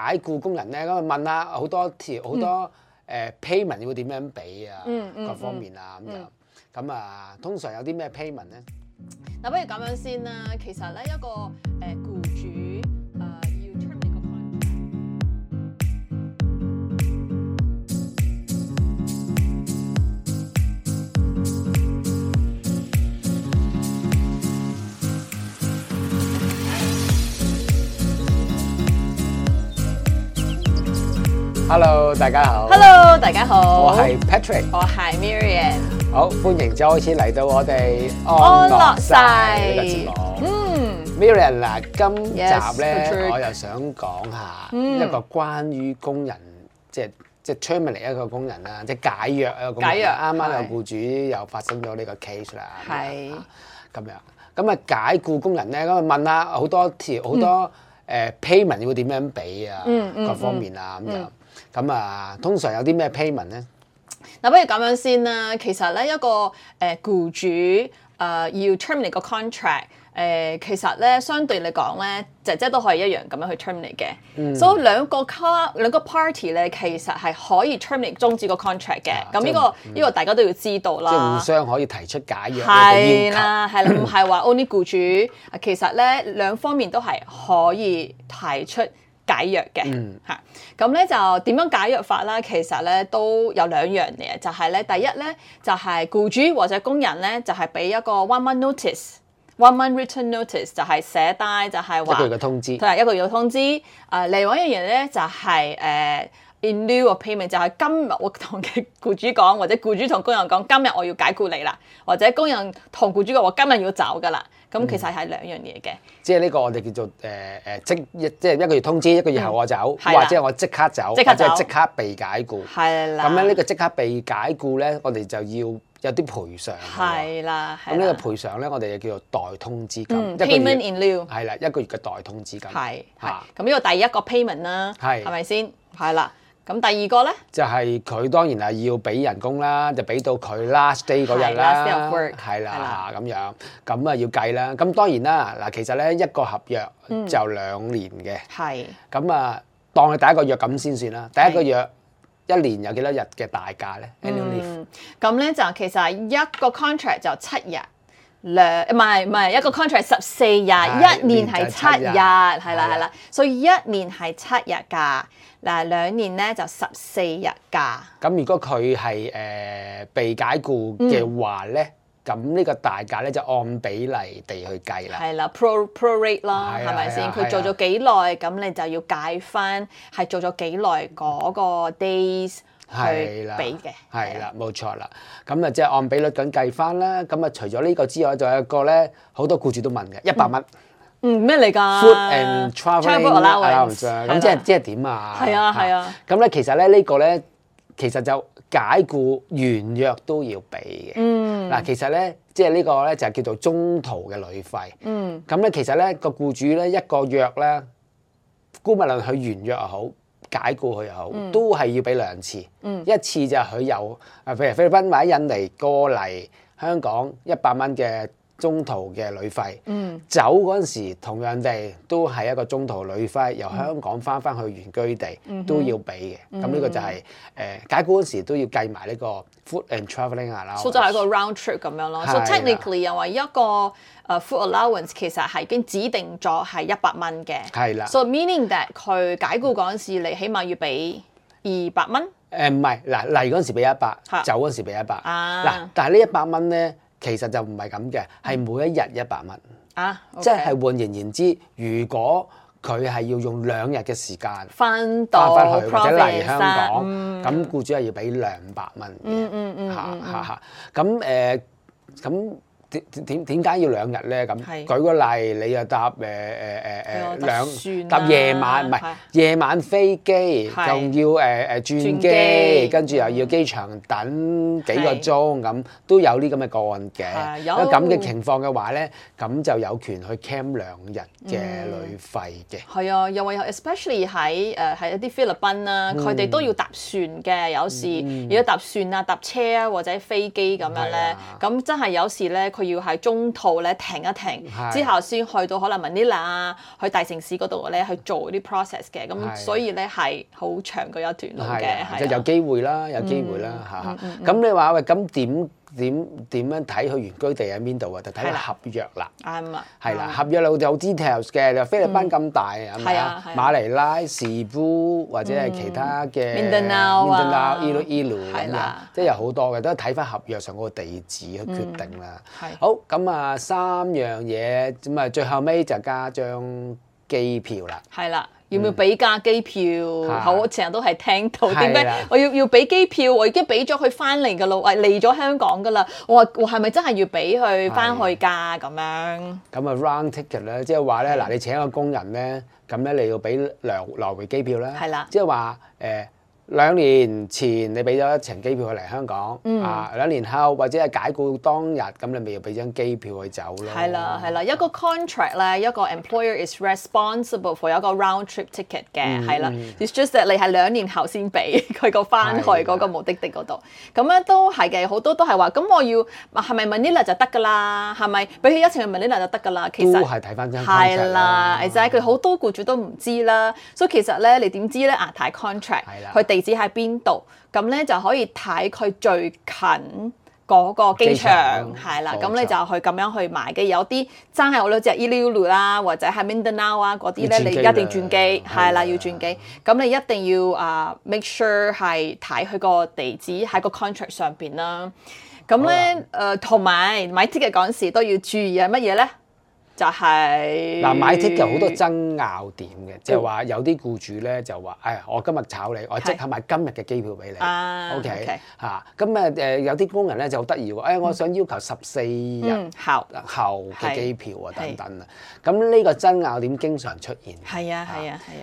解僱工人咧，咁問下好多payment 會點樣俾啊，各方面啊咁樣。咁啊，通常有啲咩 payment 咧？嗱，不如咁樣先啦。其實咧，一個僱主要 terminate 個 Hello， 大家好。Hello， 大家好。我係 Patrick， 我係 Miriam。好，歡迎再開始嚟到我哋安樂晒呢個節目。Miriam 嗱，今集咧 Patrick 我又想講下一個關於工人，即係 terminate 一個工人啦，即係解約一個工人。解約啱啱有僱主又發生咗呢個 case 啦。係咁樣。咁啊，解僱工人咧，咁啊問下好多payment 會點樣俾啊，各方面啊咁樣。咁啊，通常有啲咩 payment 咧？嗱，不如咁樣先啦。其實咧，一個僱主要 terminate 個 contract，其實咧相對嚟講咧，姐都可以一樣咁樣去 terminate 嘅。所以兩個 party 咧，其實係可以 terminate 終止個 contract 嘅。咁呢個大家都要知道啦。即係互相可以提出解約係啦，係啦，唔係話 only 僱主。其實咧兩方面都係可以提出解約嘅嚇，咁咧就點樣解約法啦？其實咧都有兩樣嘢，就係咧第一咧就係僱主或者工人咧就係俾一個 one month notice。One month written notice 就係寫低，就係話一個月嘅通知，係一個月嘅通知。另外一樣嘢咧就係in lieu of payment，就係今日我同嘅僱主講，或者僱主同工人講，今日我要解僱你啦，或者工人同僱主講，我今日要走噶啦。咁其實係兩樣嘢嘅。即係呢個我哋叫做即係一個月通知，一個月後我走，或者我即刻走，或者即刻被解僱。係啦。咁樣呢個即刻被解僱咧，我哋就要有啲賠償。係啦。咁呢個賠償咧，我哋就叫做代通知金。Payment in lieu。係啦，一個月嘅代通知金。係。咁呢個第一個 payment 啦，係咪先？係啦。咁第二個咧，就係佢當然係要俾人工啦，就俾到佢 last day 嗰日啦，係啦咁樣，咁啊要計啦。咁當然啦，嗱其實咧一個合約就2年嘅，係咁啊當佢第一個約咁先算啦。第一個約一年有幾多日嘅大假咧 ？Annual leave。咁咧就其實一個 contract 就7日。唔係一個 contract 14日，一年係7日，係啦，所以一年係7日假，嗱2年咧就14日假。咁如果佢係被解僱嘅話咧，咁呢個大假咧就按比例地去計啦。係啦 ，pro rate 啦，係咪先？佢做咗幾耐，咁你就要計翻係做咗幾耐嗰個 days。去俾嘅，係啦，冇錯啦。咁啊，即係按比率咁計翻啦。咁啊，除咗呢個之外，仲有一個咧，好多僱主都問嘅100蚊。咩嚟㗎 ？Food and travelling allowance。咁即係點啊？係啊。咁咧，其實咧呢個咧，其實就解僱完約都要俾嘅。嗱，其實咧，即係呢個咧就叫做中途嘅旅費。咁咧，其實咧個僱主咧一個約咧，姑勿論佢完約又好，解僱佢又好，都係要俾2次。一次就係佢由譬如菲律賓或者印尼過嚟香港100蚊嘅中途嘅旅費。走嗰陣時同樣地都係一個中途旅費，由香港翻去原居地都要俾嘅。咁呢個就係解僱嗰陣時都要計埋呢個 food and travelling allowance。所以就係一個 round trip 咁樣咯。So technically 又話一個food allowance 其實係已經指定咗係100蚊嘅。係啦。So meaning that 佢解僱嗰陣時，你起碼要俾200蚊。唔係嗱，嚟嗰陣時俾100，走嗰陣時俾100。嗱，但係呢100蚊咧，其實就唔係咁嘅，係每一日100蚊。即係換言之，如果佢係要用2日嘅時間翻去或者嚟香港，咁僱主係要俾200蚊嘅。咁點解要2日咧？咁舉個例，你又搭搭夜晚，唔係夜晚飛機，仲要轉機，跟住又要機場等幾個鐘，咁都有啲咁嘅個案嘅。如果咁嘅情況嘅話咧，咁就有權去 claim 2日嘅旅費嘅。係啊，又話 especially 喺一啲菲律賓啦，佢哋都要搭船嘅。有時如果搭船啊、搭車啊或者飛機咁樣咧，咁真係有時咧。佢要喺中途咧停一停，之後先去到可能 Manila 啊，去大城市嗰度咧去做啲 process 嘅，咁所以咧係好長嘅一段路嘅，即係有機會啦，有機會啦嚇。咁你話喂，咁點樣睇佢原居地喺邊度啊？就睇個合約啦。啱啊。係啦，合約有 details 嘅，就菲律賓咁大係咪啊？馬尼拉、Cebu或者係其他嘅 Mindanao、Iloilo 咁樣，即係有好多嘅，都係睇翻合約上嗰個地址去決定啦。好，咁啊3樣嘢，咁啊最後尾就加張機票啦。係啦。要唔要俾價機票？我成日都係聽到點解我要俾機票？我已經俾咗佢翻嚟㗎啦，嚟咗香港㗎啦。我係咪真係要俾佢翻去㗎？咁樣咁啊 round ticket 咧，即係話咧嗱，你請一個工人咧，咁咧你要俾來回機票啦。係啦，即係話2年前你俾咗一程機票去嚟香港，啊2年後或者係解僱當日，咁你咪要俾張機票去走咯。係啦，一個 contract 咧，一個 employer is responsible for 一個 round trip ticket 嘅，係啦。It's just that 你係2年後先俾佢個翻去嗰個目的地嗰度，咁樣都係嘅。好多都係話，咁我要係咪 Manila 就得㗎啦？係咪俾佢一程去 Manila 就得㗎啦？其實都係睇翻張 contract 係啦，就係佢好多僱主都唔知啦。所以其實咧，你點知咧？睇 contract，佢地址喺邊度，咁咧就可以睇佢最近嗰個機場，係啦，咁你就去咁樣去買嘅。有啲真係好多隻 Iloilo 啦，或者係 Mindanao 啊嗰啲咧，你一定轉機，係啦，要轉機。咁你一定要make sure 係睇佢個地址喺個 contract 上邊啦。咁咧同埋買 ticket 嗰陣時都要注意係乜嘢咧？就係嗱，買 ticket 好多爭拗點嘅，即係話有啲僱主咧就話，我今日炒你，我即刻買今日嘅機票俾你。OK 嚇，咁有啲工人咧就好得意喎，我想要求14日後嘅機票啊等等啊。咁呢個爭拗點經常出現。係啊。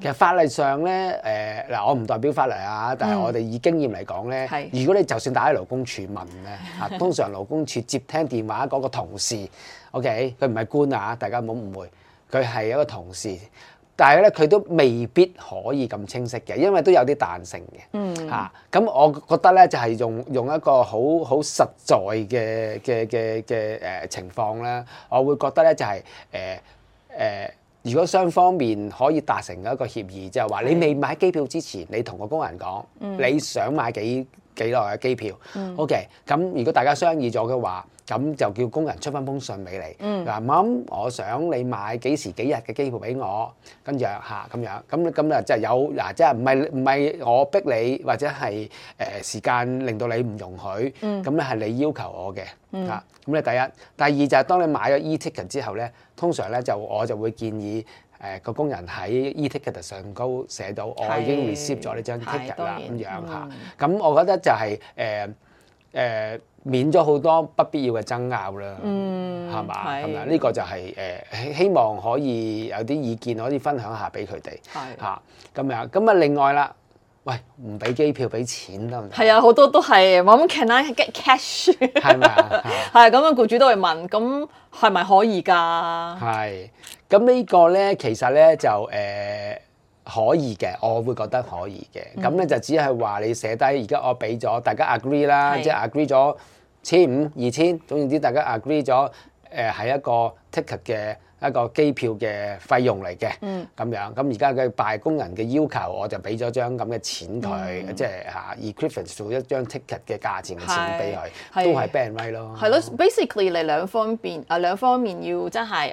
其實法例上咧，我唔代表法例啊，但係我哋以經驗嚟講咧，如果你就算打喺勞工處問咧，通常勞工處接聽電話嗰個同事。OK， 佢唔係官啊，大家唔好誤會，佢係一個同事，但係咧佢都未必可以咁清晰嘅，因為都有啲彈性嘅。咁我覺得咧就係用一個好實在嘅情況咧，我會覺得咧就係如果雙方面可以達成一個協議，就係話你未買機票之前，你同個工人講你想買幾耐嘅機票。OK， 咁如果大家商議咗嘅話，咁就叫工人出翻封信俾你。咁我想你買幾時幾日嘅機票俾我，跟住咁樣，咁啊即係有即係唔係我逼你，或者係時間令到你唔容許，咁咧係你要求我嘅。咁咧第二就係當你買咗 e-ticket 之後咧，通常咧我就會建議個工人喺 e-ticket 上高寫到我已經 receive 咗呢張 ticket 啦，咁樣嚇。咁我覺得就係免咗好多不必要嘅爭拗啦，係嘛？咁啊，呢個就係希望可以有啲意見可以分享下俾佢哋嚇咁樣。咁啊，另外啦，喂，唔俾機票俾錢得唔得？係啊，好多都係我諗 can I get cash？ 係咪啊？係咁樣，僱主都會問，咁係咪可以㗎？係咁呢個咧，其實咧就可以嘅，我會覺得可以嘅。咁咧就只係話你寫低，而家我俾咗大家 agree 啦，即係 agree 咗1500、2000，總言之大家 agree 咗係一個 ticket 嘅一個機票嘅費用嚟嘅。咁樣咁而家嘅辦工人嘅要求，我就俾咗張咁嘅錢佢，即係equivalent to 一張 ticket 嘅價錢嘅錢俾佢，都係 band right 咯。係咯 ，basically 你兩方面要真係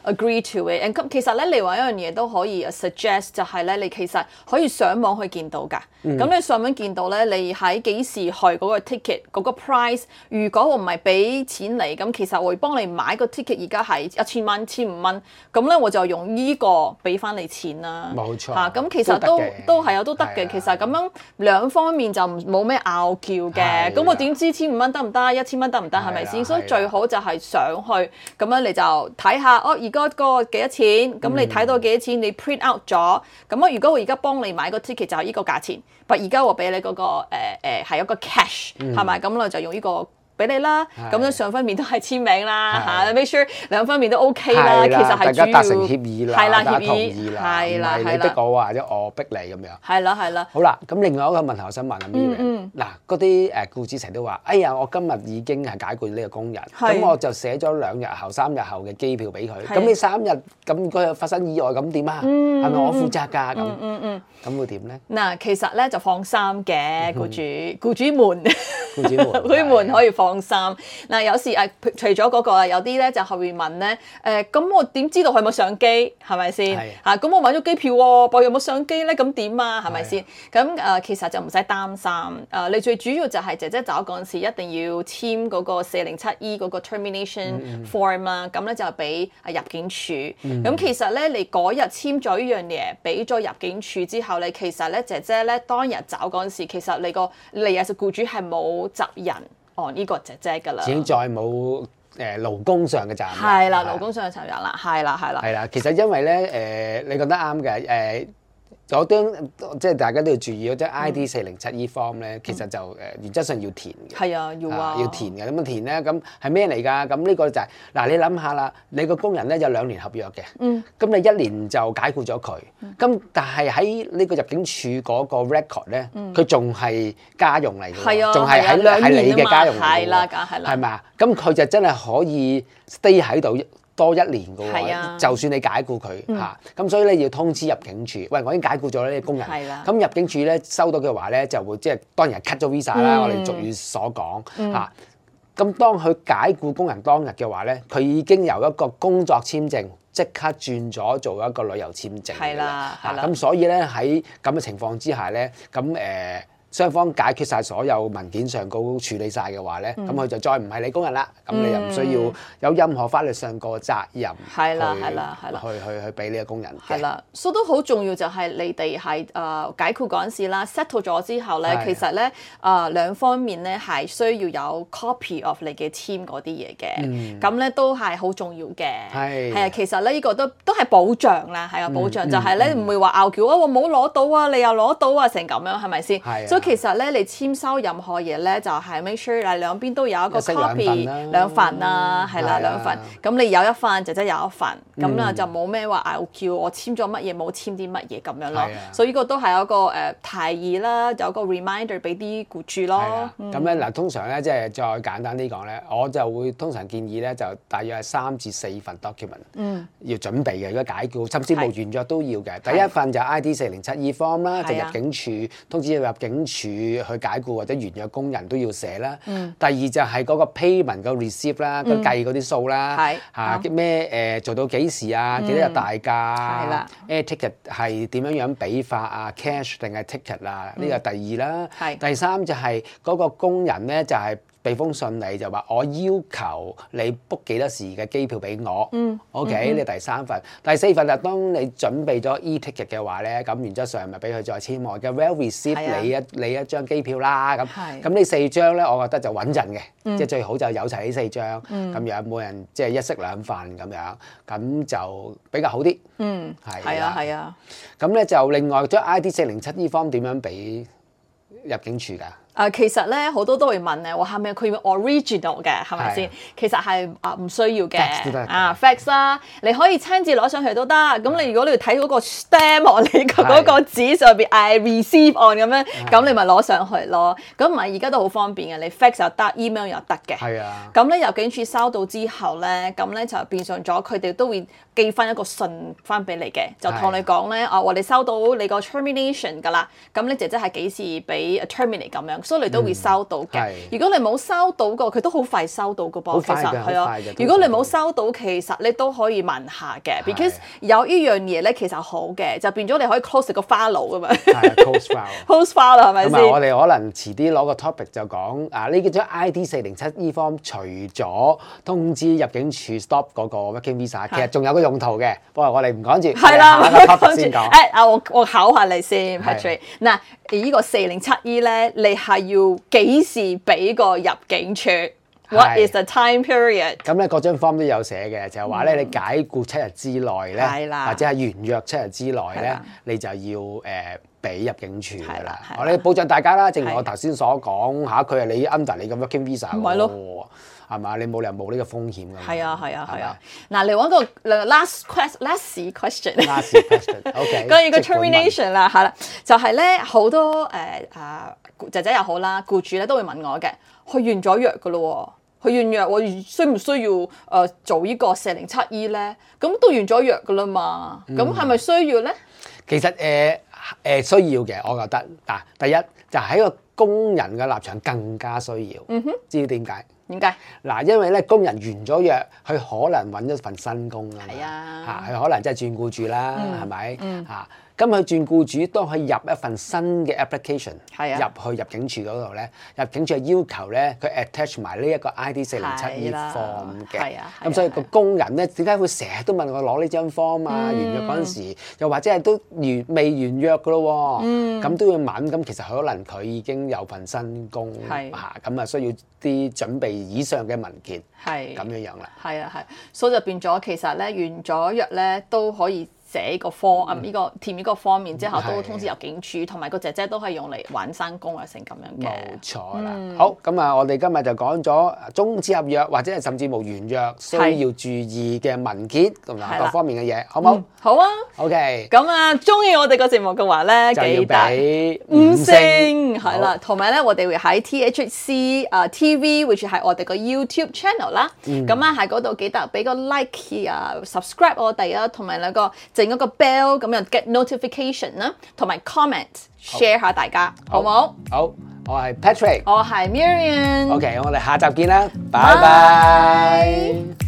agree to it。咁其實咧，另外一樣嘢都可以 suggest 就係咧，你其實可以上網去見到㗎。咁你上網見到咧，你喺幾時去嗰個 ticket 嗰個 price， 如果我唔係俾錢你，咁其實我會幫你買個 ticket，而家係1000蚊、1500蚊，咁咧我就用呢個俾翻你錢啦。冇錯。咁其實都係都得嘅。其實咁樣兩方面就冇咩拗撬嘅。咁我點知1500蚊得唔得？1000蚊得唔得？係咪先？所以最好就係上去，咁樣你就睇下而家個幾多錢？咁你睇到幾多錢？你 print out 咗。咁如果我而家幫你買個 ticket 就係呢個價錢，但而家我俾你嗰個係一個 cash 係咪？咁我就用呢個俾你啦，咁樣雙方面都係簽名啦嚇，make sure 兩方面都 OK 啦，其實係大家達成協議啦，係啦，大家同協意啦，係啦，唔係你逼我或者我逼你咁樣。係啦，係啦。好啦，咁另外一個問題我想問阿 Miriam，嗱嗰啲僱主成日都話：哎呀，我今日已經係解僱呢個工人，咁我就寫咗2日後、3日後嘅機票俾佢，咁你3日咁佢發生意外咁點啊？係咪我負責㗎？咁會點咧？嗱，其實咧就放心嘅，僱主們可以放心。嗱，有時除咗嗰個有啲咧就係會問咧，咁我點知道佢有冇上機？係咪先？嚇，咁我買咗機票喎，但有冇上機咧？咁點啊？係咪先？咁其實就唔使擔心。你最主要就係姐姐走嗰陣時一定要簽嗰個407E 嗰個 termination form 啦。咁咧就俾入境處。咁其實咧，你嗰日簽咗呢樣嘢，俾咗入境處之後咧，其實咧姐姐咧當日走嗰陣時，其實你係僱主係冇責任按呢個姐姐㗎啦。已經再冇勞工上嘅責任。係啦，勞工上嘅責任啦，係啦。係啦，其實因為咧你覺得啱嘅嗰張即係大家都要注意嗰張 ID 407E form 咧，其實就原則上要填嘅。係啊，要填嘅。咁樣填咧，咁係咩嚟㗎？咁呢個就係嗱，你諗下啦，你個工人咧有2年合約嘅，咁你1年就解僱咗佢，咁但係喺呢個入境處嗰個 record 咧，佢仲係家用嚟㗎，仲係喺你嘅家用嚟㗎，係啦，梗係啦，係咪啊？咁佢就真係可以 stay 喺度多1年嘅喎，就算你解僱佢嚇，咁所以咧要通知入境處，喂，我已經解僱咗呢啲工人，咁入境處咧收到嘅話咧就會即係當然係 cut 咗 visa 啦，我哋俗語所講嚇。咁當佢解僱工人當日嘅話咧，佢已經由一個工作簽證即刻轉咗做一個旅遊簽證㗎啦，咁所以咧喺咁嘅情況之下咧，咁雙方解決晒所有文件上高處理晒嘅話咧，咁佢就再唔係你工人啦，咁你又唔需要有任何法律上個責任，係啦，去俾呢個工人嘅。係啦，所以都好重要就係你哋係解僱嗰陣時啦 settle 咗之後咧，其實咧兩方面咧係需要有 copy of 你嘅簽嗰啲嘢嘅，咁咧都係好重要嘅。係啊，其實咧呢個都係保障啦，係啊，保障就係咧唔會話拗撬啊，我冇攞到啊，你又攞到啊，成咁樣係咪先？所以其實咧，你簽收任何嘢咧，就係 make sure 兩邊都有一個 copy 兩份啊，係啦2份。咁你有一份，姐姐有一份，咁啦就冇咩話拗撬，我簽咗乜嘢冇簽啲乜嘢咁樣咯。所以呢個都係一個提議啦，有個 reminder 俾啲僱主咯。咁咧嗱，通常咧即係再簡單啲講咧，我就會通常建議咧就大約係3至4份 document 要準備嘅，如果解僱甚至無完約都要嘅。第一份就 ID 407E form 啦，就入境處通知入境處去解僱或者完約工人都要寫啦。第二就係嗰個 payment 個 receipt 啦，佢計嗰啲數啦，嚇咩做到幾時啊？幾多日大假？air ticket 係點樣俾法啊 ？cash 定係 ticket 啊？呢個第二啦。第三就係嗰個工人咧就係俾封信你就話我要求你 book 幾多時嘅機票俾我，OK？呢第3份，第4份就當你準備咗 e-ticket 嘅話咧，咁原則上咪俾佢再簽我嘅 well receipt 你一張機票啦，咁呢4張咧，我覺得就穩陣嘅，即係最好就有齊呢4張，咁樣每人即係1式2份咁樣，咁就比較好啲。係啊。咁咧就另外將 ID 407E form 點樣俾入境處㗎？其實咧好多都會問咧，話係咪佢要 original 嘅，係咪先？其實係唔需要嘅，fax 啦，你可以親自攞上去都得。咁你如果你要睇嗰個 stamp on 你嗰個紙上邊 I receive on 咁樣，咁你咪攞上去咯。咁唔係而家都好方便嘅，你 fax 又得 ，email 又得嘅。係啊。咁咧入境處收到之後咧，咁咧就變相咗佢哋都會寄翻一個信翻俾你嘅，就同你講咧，我哋收到你個 termination 㗎啦。咁你姐姐係幾時俾 terminate 咁樣？所以你都會收到嘅。如果你冇收到個，佢都好快收到嘅噃。其實係啊。如果你冇收到，其實你都可以問下嘅。because 有呢樣嘢咧，其實好嘅，就變咗你可以 close 個 file 噶嘛。close file 啦，係咪先？咁我哋可能遲啲攞個 topic 就講呢張 ID 407E form 除咗通知入境處 stop 嗰個 working visa， 其實仲有個用途嘅。不過我哋唔講住，係啦，下個 topic 先講。我考下你先 Patrick。嗱，呢個407E咧，你係要幾時俾個入境處 What is the time period？咁咧嗰張 form 都有寫嘅，就係話咧你解僱7日之內咧，係啦或者係完約7日之內咧係啦，你就要俾入境處㗎啦係啦。我哋保障大家啦，正如我頭先所講嚇，佢係你 under 你嘅 working visa 唔係咯喎，係嘛？你冇理由冇呢個風險㗎嘛。係啊係啊係係啊。嗱，嚟揾個 last question。 Last question，OK。關於個 termination 啦，係啦，就係咧好多姐姐又好啦，僱主咧都會問我嘅，佢完咗約㗎咯喎，佢完約我需唔需要做呢個407E 咧？咁都完咗約㗎啦嘛，咁係咪需要咧？其實需要嘅，我覺得嗱，第一就喺個工人嘅立場更加需要。知點解？點解？嗱，因為咧工人完咗約，佢可能揾一份新工啊嘛。係啊嚇，佢可能真係轉僱主啦，係咪？嚇，咁佢轉僱主，當佢入一份新嘅 application 係啊入去入境處嗰度咧，入境處係要求咧佢 attach 埋呢一個 ID 407E 係啦 form 嘅。係啊咁所以個工人咧點解會成日都問我攞呢張 form 啊？完約嗰陣時，又或者係都未完約噶咯喎，咁都要問。咁其實可能佢已經有份新工係嚇，咁啊需要啲準備以上嘅文件，係咁樣啦。係啊係，所以就變咗其實咧完咗約咧都可以寫個 form 呢個填呢個 form，然之後都通知入境處，同埋個姐姐都係用嚟揾生工啊成咁樣嘅。冇錯啦。好，咁啊，我哋今日就講咗終止合約或者係甚至無完約需要注意嘅文件同埋各方面嘅嘢，好冇？好啊。 OK。咁啊，中意我哋個節目嘅話咧，就要記得俾5 5星係啦，同埋咧我哋會喺 THC TV，which 係我哋個 YouTube channel 啦。咁啊喺嗰度記得俾個 like 啊，subscribe 我哋啊，同埋兩個整嗰個 bell 咁樣 get notification 啦，同埋 comment share 下大家，好冇？好，我係 Patrick。我係 Miriam。 OK，我哋下集見啦，拜拜。